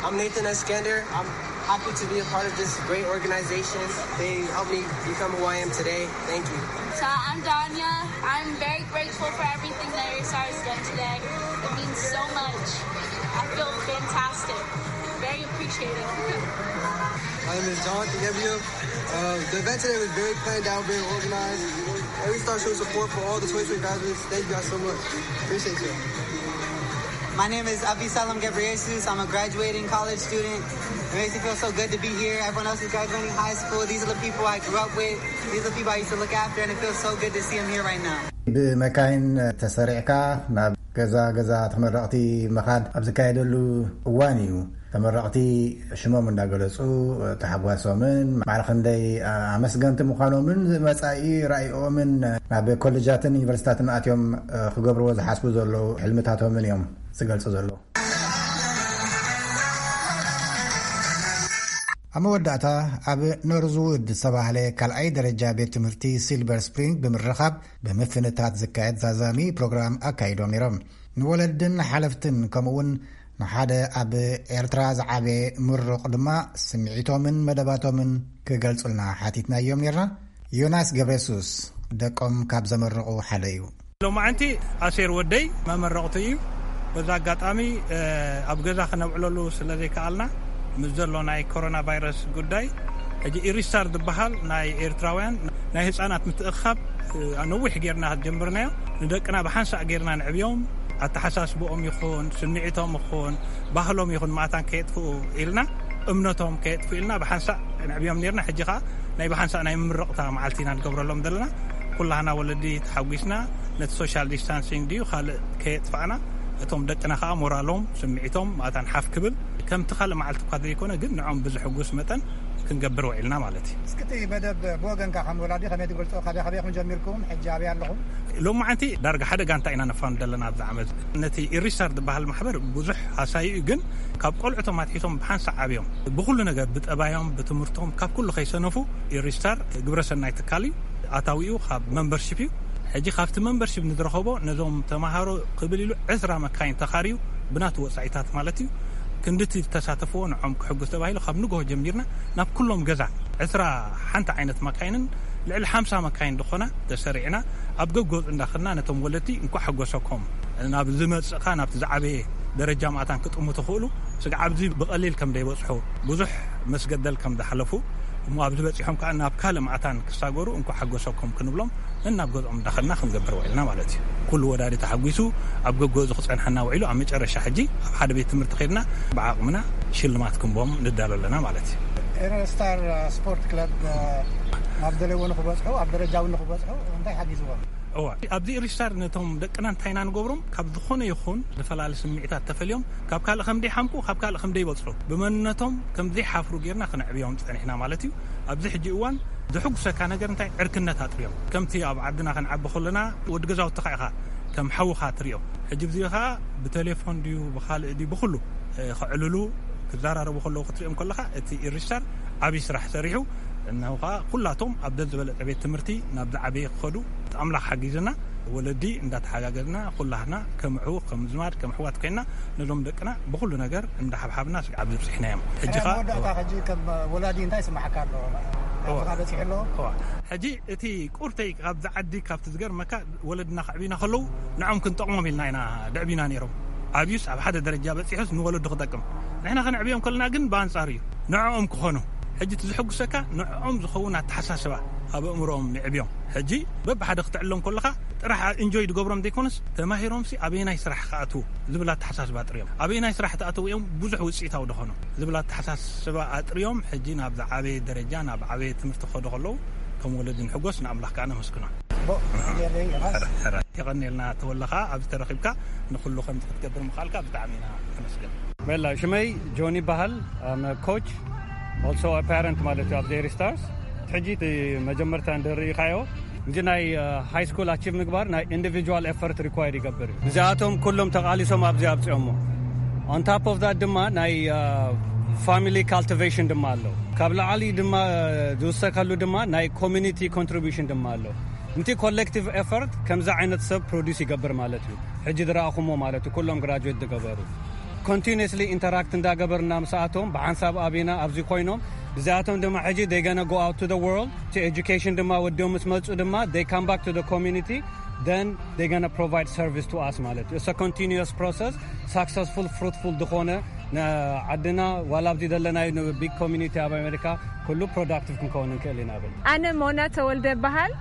I'm Nathan Eskender. I'm happy to be a part of this great organization. They helped me become who I am today. Thank you. So I'm Danya. I'm very grateful for everything that A R S R has done today. It means so much. I feel fantastic. Very appreciative. My name is Jonathan Gabriel. Uh, the event today was very planned out, very organized. Every star showed support for all the twenty twenty graduates. Thank you guys so much. Appreciate you. My name is Abisalom Ghebreyesus. I'm a graduating college student. It makes me feel so good to be here. Everyone else is graduating high school. These are the people I grew up with. These are the people I used to look after, and it feels so good to see them here right now. ብመካይን ተሰሪዕካ ናብ ገዛ ገዛ ተመረቕቲ ምኻድ ኣብ ዝካየደሉ እዋን እዩ። ተመረቕቲ ሽሞም እንዳገለጹ ተሓጓሶምን ማዕረ ክንደይ ኣመስገንቲ ምዃኖምን መጻኢ ራእይኦምን ናብ ኮሌጃትን ዩኒቨርሲታትን ኣትዮም ክገብርዎ ዝሓስቡ ዘለዉ ሕልምታቶምን እዮም ዝገልጹ ዘለዉ። ኣብ መወዳእታ ኣብ ኖርዝውድ ዝተባህለ ካልኣይ ደረጃ ቤት ትምህርቲ ሲልቨር ስፕሪንግ ብምርኻብ ብምፍንታት ዝካየድ ዛዛሚ ፕሮግራም ኣካይዶም ነይሮም። ንወለድን ሓለፍትን ከምኡውን ንሓደ ኣብ ኤርትራ ዝዓበየ ምሩቕ ድማ ስምዒቶምን መደባቶምን ክገልጹልና ሓቲትናዮም ነርና። ዮናስ ገብረየሱስ ደቆም ካብ ዘመረቑ ሓደ እዩ። ሎማዓንቲ ኣሴር ወደይ መመረቕቱ እዩ። በዛ ኣጋጣሚ ኣብ ገዛ ክነብዕለሉ ስለ ዘይከኣልና ምስ ዘሎ ናይ ኮሮና ቫይረስ ጉዳይ ሕጂ ኢሪስታር ዝበሃል ናይ ኤርትራውያን ናይ ህፃናት ምትእኻብ ነዊሕ ጌርና ጀምርናዮ። ንደቅና ብሓንሳእ ጌርና ንዕብዮም፣ ኣተሓሳስብኦም ይኹን ስምዒቶም ይኹን ባህሎም ይኹን ማእታን ከየጥፍኡ ኢልና እምነቶም ከየጥፍኡ ኢልና ብሓንሳእ ንዕብዮም ኔርና። ሕጂ ኸዓ ናይ ብሓንሳእ ናይ ምምርቕታ መዓልቲ ኢና ንገብረሎም ዘለና። ኩላህና ወለዲ ተሓጒስና ነቲ ሶሻል ዲስታንሲንግ ድዩ ካልእ ከየጥፋእና እቶም ደቅና ኸዓ ሞራሎም ስምዒቶም ማእታን ሓፍ ክብል ከምቲ ካልእ መዓልቲ እኳ ዘይኮነ ግን ንዖም ብዝሕጉስ መጠን ክንገብር ውዒልና ማለት እዩ። እስኪ እቲ መደብ ብወገንካ ከም ወላዲ ከመይ ትገልጾ? ካበይ ካበይ ኢኹም ጀሚርኩም? ሕጂ ኣበይ ኣለኹም? ሎማዓንቲ ዳርጋ ሓደ ጋንታ ኢና ነፋንድ ዘለና ኣብዚ ዓመት። ነቲ ኢሪስታር ዝበሃል ማሕበር ብዙሕ ሃሳዩ እዩ፣ ግን ካብ ቆልዑቶም ኣትሒቶም ብሓንሳእ ዓብዮም ብኩሉ ነገር ብጠባዮም ብትምህርቶም ካብ ኩሉ ከይሰነፉ ኢሪስታር ግብረሰናይ ትካል እዩ። ኣታዊኡ ካብ መንበርሺፕ እዩ። ሕጂ ካብቲ መንበርሺፕ ንዝረኸቦ ነዞም ተምሃሮ ክብል ኢሉ ዕስራ መካይን ተኻርዩ ብናቱ ወጻኢታት ማለት እዩ ክንድቲ ዝተሳተፍዎ ንዖም ክሕጉስ ተባሂሉ ካብ ንግሆ ጀሚርና ናብ ኩሎም ገዛ ዕስራ ሓንቲ ዓይነት መካይንን ልዕሊ ሓምሳ መካይን ዝኾና ተሰሪዕና ኣብ ገገጹ እንዳኸድና ነቶም ወለድቲ እንኳዕ ሓጎሰኩም ናብ ዝመጽእ ኸኣ ናብቲ ዝዓበየ ደረጃ ምእታን ክጥሙ ትኽእሉ ስጋዕ ኣብዚ ብቐሊል ከም ዘይበጽሑ ብዙሕ መስገደል ከም ዝሓለፉ እሞ ኣብዚ በጺሖም ከኣ ናብ ካልእ ምእታን ክሳገሩ እንኳዕ ሓጎሰኩም ክንብሎም ነናብ ገዝኦም እንዳኸድና ክንገብር ውዒልና ማለት እዩ። ኩሉ ወላዲ ተሓጒሱ ኣብ ገገዙ ክጸንሐና ውዒሉ ኣብ መጨረሻ ሕጂ ኣብ ሓደ ቤት ትምህርቲ ከድና ብዓቕምና ሽልማት ክንቦም ንዳሎ ኣለና ማለት እዩ። ኤረስታር ስፖርት ክለብ ናብ ዝደለይዎ ንክበጽሑ ኣብ ደረጃ እውን ንክበጽሑ እንታይ ሓጊዝዎም? እዋ ኣብዚ ሪስታር ነቶም ደቅና እንታይና ንገብሮም ካብ ዝኾነ ይኹን ዝፈላለ ስምዒታት ተፈልዮም ካብ ካልእ ከም ደይሓምቁ ካብ ካልእ ከም ደይበጽሑ ብመንነቶም ከም ዘይሓፍሩ ጌርና ክነዕብዮም ጸኒሕና ማለት እዩ። ኣብዚ ሕጂ እዋን ዝሕጉሰካ ነገር እንታይ ዕርክነት ኣጥርዮም ከምቲ ኣብ ዓድና ክንዓቢ ከለና ወዲ ገዛውትኻ ኢኻ ከም ሓውኻ ትሪኦ። ሕጂ ብዚ ኸዓ ብቴሌፎን ድዩ ብኻልእ ድዩ ብኩሉ ከዕልሉ ክዘራረቡ ከለዉ ክትሪኦም ከለኻ እቲ ኢሪስታር ዓብዪ ስራሕ ሰሪሑ እነሆ ከዓ ኩላቶም ኣብ ደዝበለፀ ቤት ትምህርቲ ናብ ዝዓበየ ክኸዱ ኣምላኽ ሓጊዝና ወለዲ እንዳተሓጋገዝና ኩላህና ከም ኣሕዉ ከም ዝማድ ከም ኣሕዋት ኮይና ነዞም ደቅና ብኩሉ ነገር እንዳሓብሓብና ስጋዕ ኣብዚ ብፅሕናዮም። ሕጂ ከዓ መወዳእታ ሕጂ ከም ወላዲ እንታይ ስማዓካ ኣሎ? እዋ። ሕጂ እቲ ቁርተይ ካብዚ ዓዲ ካብቲ ዝገርመካ ወለድና ከዕብዩና ከለዉ ንዖም ክንጠቕሞም ኢልና ኢና ደዕቢና ነይሮም። ኣብዩስ ኣብ ሓደ ደረጃ በፂሑስ ንወለዱ ክጠቅም ንሕና ከነዕብዮም ከለና ግን ብኣንፃር እዩ ንዕኦም ክኾኑ ሕጂ እቲ ዝሕጉሰካ ንዕኦም ዝኸውን ኣተሓሳስባ ኣብ ኣእምሮኦም ንዕብዮም። ሕጂ በብሓደ ክትዕሎም ከለኻ ጥራሕ ኢንጆይ ዝገብሮም ዘይኮነስ ተማሂሮምሲ ኣበየናይ ስራሕ ክኣትዉ ዝብል ኣተሓሳስባ ኣጥርዮም። ኣበየናይ ስራሕ ተኣተዉ እዮም ብዙሕ ውፅኢታዊ ዝኾኑ ዝብል ኣተሓሳስባ ኣጥርዮም። ሕጂ ናብ ዝዓበየ ደረጃ ናብ ዓበየ ትምህርቲ ክኸዱ ከለዉ ከም ወለዲ ንሕጎስ፣ ንኣምላኽ ከዓ ነመስግኖ። የቐንየልና ተወለኻ ኣብዚ ተረኺብካ ንኩሉ ከምዚ ክትገብር ምኻልካ ብጣዕሚ ኢና ነመስግን። በላ ሽመይ ጆኒ ይበሃል። I'm a coach, also a parent ማለት እዩ ኣብዚ ኤሪ ስታርስ። ሕጂ እቲ መጀመርታ እንድርኢኻዮ እዚ ናይ ሃይ ስኩል ኣቺቭ ምግባር ናይ ኢንዲቪጁዋል ኤፈርት ሪኳየር ይገብር እዩ። እዚኣቶም ኩሎም ተቓሊሶም ኣብዚ ኣብፅኦሞ። On top of that ድማ ናይ ፋሚሊ ካልቲቬሽን ድማ ኣሎ። ካብ ላዕሊ ድማ ዝውሰከሉ ድማ ናይ ኮሚኒቲ ኮንትሪቢሽን ድማ ኣሎ። እቲ ኮሌክቲቭ ኤፈርት ከምዚ ዓይነት ሰብ ፕሮዲስ ይገብር ማለት እዩ። ሕጂ ዝረኣኹሞ ማለት እዩ ኩሎም ግራጁዌት ዝገበሩ ኮንቲኒስሊ ኢንተራክት እንዳገበርና ምስኣቶም ብሓንሳብ ኣቢና ኣብዚ ኮይኖም እዚኣቶም ድማ ሕጂ they gonna go out to the world to education ድማ ወዲኦም ምስ መፁ ድማ they come back to the community, then they gonna provide service to us ማለት እዩ። It's a continuous process, successful, fruitful ዝኾነ ንዓድና ዋላ ኣብዚ ዘለናዩ ቢግ ኮሚኒቲ ኣብ ኣሜሪካ ኩሉ ፕሮዳክቲቭ ክንከውን ንክእል ኢና ብል። ኣነ ሞና ተወልደ በሃል።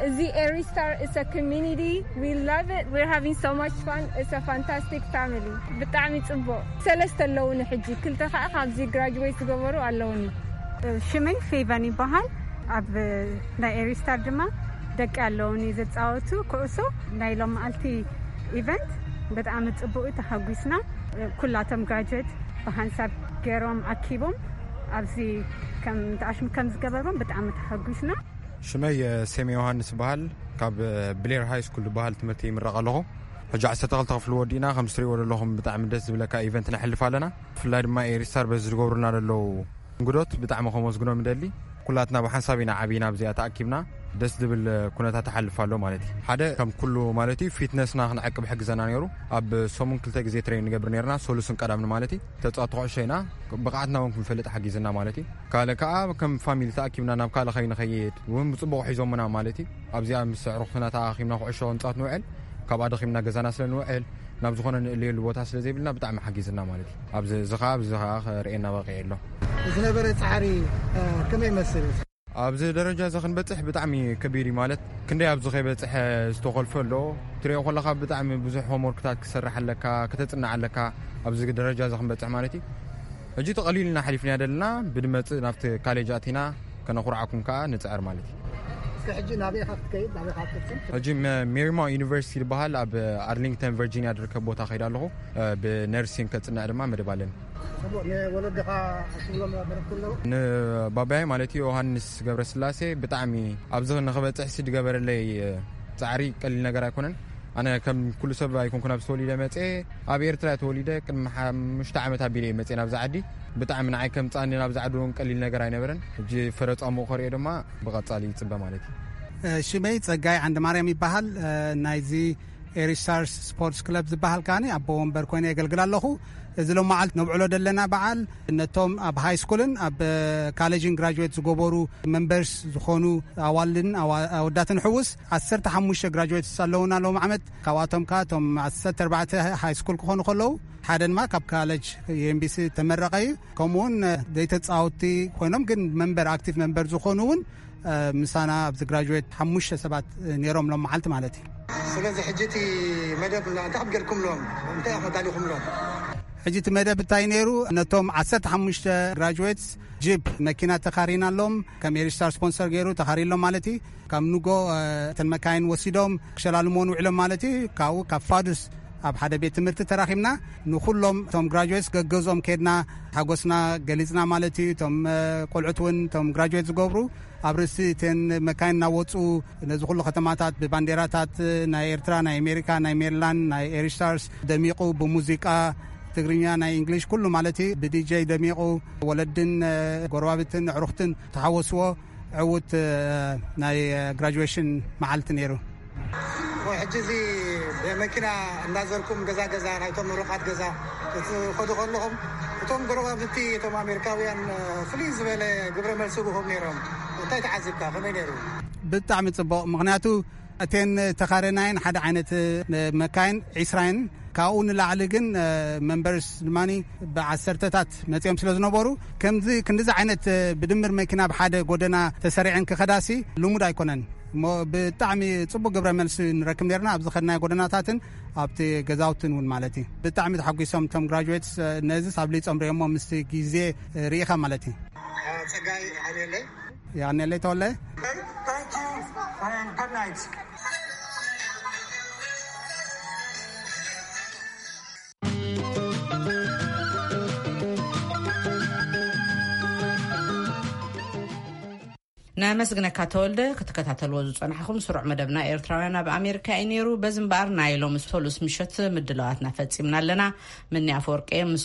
እዚ ኤሪ ስታር is a community, we love it, we're having so much fun, it's a fantastic family. ብጣዕሚ ፅቡቅ። ሰለስተ ኣለውኒ ሕጂ፣ ክልተ ከዓ ካብዚ ግራጅዌት ዝገበሩ ኣለውኒ። ሽመይ ፌቨን ይበሃል። ኣብ ናይ ኤሪ ስታር ድማ ደቂ ኣለውኒ ዝፃወቱ ኩዕሶ። ናይ ሎም መዓልቲ ኢቨንት ብጣዕሚ ፅቡቅ እዩ፣ ተሓጒስና። ኩላቶም ግራጅዌት ብሓንሳብ ገይሮም ኣኪቦም ኣብዚ ከም ተኣሽሙ ከም ዝገበርዎም ብጣዕሚ ተሓጒስና። ሽመይ ሴም ዮሃንስ ይበሃል። ካብ ብሌር ሃይ ስኩል ዝበሃል ትምህርቲ ይምረቕ ኣለኹ። ሕጂ ዓሰርተ ክልተ ክፍሊ ወዲእና፣ ከም ትሪእዎ ዘለኹም ብጣዕሚ ደስ ዝብለካ ኢቨንት ነሕልፍ ኣለና። ብፍላይ ድማ ኤሪስታር በዚ ዝገብሩልና ዘለዉ እንግዶት ብጣዕሚ ከመስግኖም ይደሊ። ኩላትና ብሓንሳብ ኢና ዓቢና ኣብዚኣ ተኣኪብና፣ ደስ ዝብል ኩነታት ተሓልፍ ኣሎ ማለት እዩ። ሓደ ከም ኩሉ ማለት እዩ ፊትነስና ክንዕቅብ ሕግዘና ነይሩ። ኣብ ሰሙን ክልተ ግዜ ትሬን ንገብር ነርና፣ ሰሉስን ቀዳምን ማለት እዩ። ተጻወቲ ኩዕሾ ኢና፣ ብቕዓትና እውን ክንፈልጥ ሓጊዝና ማለት እዩ። ካልእ ከኣ ከም ፋሚሊ ተኣኪብና ናብ ካልእ ከይንኸይድ እውን ብጽቡቕ ሒዞምና ማለት እዩ። ኣብዚኣ ምስ ኣዕሩኽትና ተኣኻኺብና ኩዕሾ ክንጻወት ንውዕል፣ ካብኣ ደኺምና ገዛና ስለ ንውዕል ናብ ዝኾነ ንእለየሉ ቦታ ስለ ዘይብልና ብጣዕሚ ሓጊዝና ማለት እዩ። ኣብዚ እዚ ከኣ ኣብዚ ከኣ ክርእየና በቒዑ ኣሎ። ዝነበረ ጻዕሪ፣ እ፣ ከመይ ይመስል? ኣብዚ ደረጃ እዚ ክንበጽሕ ብጣዕሚ ከቢድ እዩ ማለት ክንደይ ኣብዚ ከይበጽሐ ዝተኾልፈ ኣሎ። ትሪኦ ከለኻ ብጣዕሚ ብዙሕ ሆምወርክታት ክሰርሕ ኣለካ፣ ከተጽንዕ ኣለካ ኣብዚ ደረጃ እዚ ክንበጽሕ ማለት እዩ። ሕጂ እቲ ቀሊልና ሓሊፍናዮ ዘለና ብድመጽእ ናብቲ ካሌጅ ኣቲና ከነኹርዓኩም ከኣ ንጽዕር ማለት እዩ። እስከ ሕጂ ናበይ ኢኻ ክትከይድ? ናበይ ኢኻ ክትቅጽል? ሕጂ መ-፣ ሜሪማውንት ዩኒቨርሲቲ ዝበሃል ኣብ ኣርሊንግተን ቨርጂኒያ ዝርከብ ቦታ ከይድ ኣለኹ። እ፣ ብነርሲንግ ከጽንዕ ድማ መደብ ኣለኒ። ጽቡቕ። ንወለድኻ ክትብሎም መደብ ኣለዉ? ንባባይ ማለት እዩ ዮሃንስ ገብረስላሴ ብጣዕሚ ኣብዚ ንኽበጽሕ ሲ ዝገበረለይ ጻዕሪ ቀሊል ነገር ኣይኮነን። ኣነ ከም ኩሉ ሰብ ኣይኮንኩን ኣብዚ ተወሊደ መጽኤ፣ ኣብ ኤርትራ እየ ተወሊደ። ቅድሚ ሓሙሽተ ዓመት ኣቢለ እየ መጽኤ ናብዚ ዓዲ። ብጣዕሚ ንዓይ ከም ጻኒ ናብዚ ዓዲ እውን ቀሊል ነገር ኣይነበረን። ሕጂ ፍረ ጻምኡ ከርእዮ ድማ ብቐጻሊ ይጽበ ማለት እዩ። እ፣ ሽመይ ጸጋይ ዓንድማርያም ይበሃል። እ፣ ናይዚ ኤሪስታርስ ስፖርትስ ክለብ ዝበሃል ከኣኒ ኣቦ ወንበር ኮይነ የገልግል ኣለኹ። እዚ ሎማዓልት ነብዕሎ ዘለና በዓል ነቶም ኣብ ሃይ ስኩልን ኣብ ካሌጅን ግራጅዌት ዝገበሩ መንበርስ ዝኾኑ ኣዋልድን ኣዋ-፣ ኣወዳትን ሕውስ ዓሰርተ ሓሙሽተ ግራጅዌትስ ኣለውና ሎም ዓመት። ካብኣቶም ከኣ እቶም ዓሰርተ ኣርባዕተ ሃይ ስኩል ክኾኑ ከለዉ ሓደ ድማ ካብ ካሌጅ ዩ ኤም ቢ ሲ ተመረቐ እዩ። ከምኡውን ዘይተጻወትቲ ኮይኖም ግን መንበር፣ ኣክቲቭ መንበር ዝኾኑ እውን እ፣ ምሳና ኣብዚ ግራጅዌት ሓሙሽተ ሰባት፣ እ፣ ነይሮም ሎም መዓልቲ ማለት እዩ። ስለዚ ሕጂ እቲ መደብ እንታይ ከም ጌርኩምሎም? እንታይ ኢኹም ኣዳሊኹምሎም? ሕጂ እቲ መደብ እንታይ ነይሩ? ነቶም ዓሰርተ ሓሙሽተ ግራጅዌትስ ጂፕ መኪና ተኻሪናሎም፣ ከም ኤሪስታር ስፖንሰር ገይሩ ተኻሪሎም ማለት እዩ። ካብ ንጎ፣ እ፣ እተን መካይን ወሲዶም ክሸላልሞን ውዕሎም ማለት እዩ። ካብኡ ካብ ፋዱስ ኣብ ሓደ ቤት ትምህርቲ ተራኺብና ንኹሎም እቶም ግራጅዌትስ ገገዝኦም ከድና ሓጎስና ገሊጽና ማለት እዩ። እቶም፣ እ፣ ቆልዑት እውን እቶም ግራጅዌት ዝገብሩ ኣብ ርእሲ እተን መካይን እናወፁ ነዚ ኩሉ ከተማታት ብባንዴራታት ናይ ኤርትራ፣ ናይ ኣሜሪካ፣ ናይ ሜሪላንድ፣ ናይ ኤሪስታርስ ደሚቑ ብሙዚቃ ትግርኛ፣ ናይ እንግሊሽ ኩሉ ማለት እዩ ብዲጀይ ደሚቑ ወለድን፣ እ፣ ጎረባብትን ኣዕሩኽትን ተሓወስዎ ዕዉት፣ እ፣ ናይ ግራጁዌሽን መዓልቲ ነይሩ። ወይ ሕጂ እዚ ብመኪና እናዘርኩም ገዛ ገዛ ናይቶም ምሩቓት ገዛ ክትኸዱ ከለኹም እቶም ጎረባብቲ እቶም ኣሜሪካውያን፣ እ፣ ፍልይ ዝበለ ግብረ መልሲ ብኹም ነይሮም። እንታይ ተዓዚብካ? ከመይ ነይሩ? ብጣዕሚ ጽቡቕ። ምኽንያቱ እተን ተኻረናየን ሓደ ዓይነት፣ እ፣ መካይን ዒስራየን ካብኡ ንላዕሊ ግን መንበርስ ድማ ብዓሰርተታት መፂኦም ስለ ዝነበሩ ከምዚ ክንዲዚ ዓይነት ብድምር መኪና ብሓደ ጎደና ተሰሪዐን ክኸዳሲ ልሙድ ኣይኮነን። እሞ ብጣዕሚ ፅቡቅ ግብረ መልሲ ንረክብ ነርና ኣብዚ ከድናዮ ጎደናታትን ኣብቲ ገዛውትን እውን ማለት እዩ። ብጣዕሚ ተሓጒሶም እቶም ግራጁዌትስ። ነዚ ሳብ ሊፆም ሪኦሞ ምስቲ ግዜ ርኢኻ ማለት እዩ። ጸጋይ ኣኔለ። የቐንየለይ ተወለ። ነመስግነካ ተወልደ። ክትከታተልዎ ዝጸናሕኹም ስሩዕ መደብና ኤርትራውያን ኣብ ኣሜሪካ እዩ ነይሩ። በዚ እምበኣር ናይ ሎሚ ሰሉስ ምሸት ምድላዋትና ፈጺምና ኣለና። ምኒ ኣፈወርቂ ምስ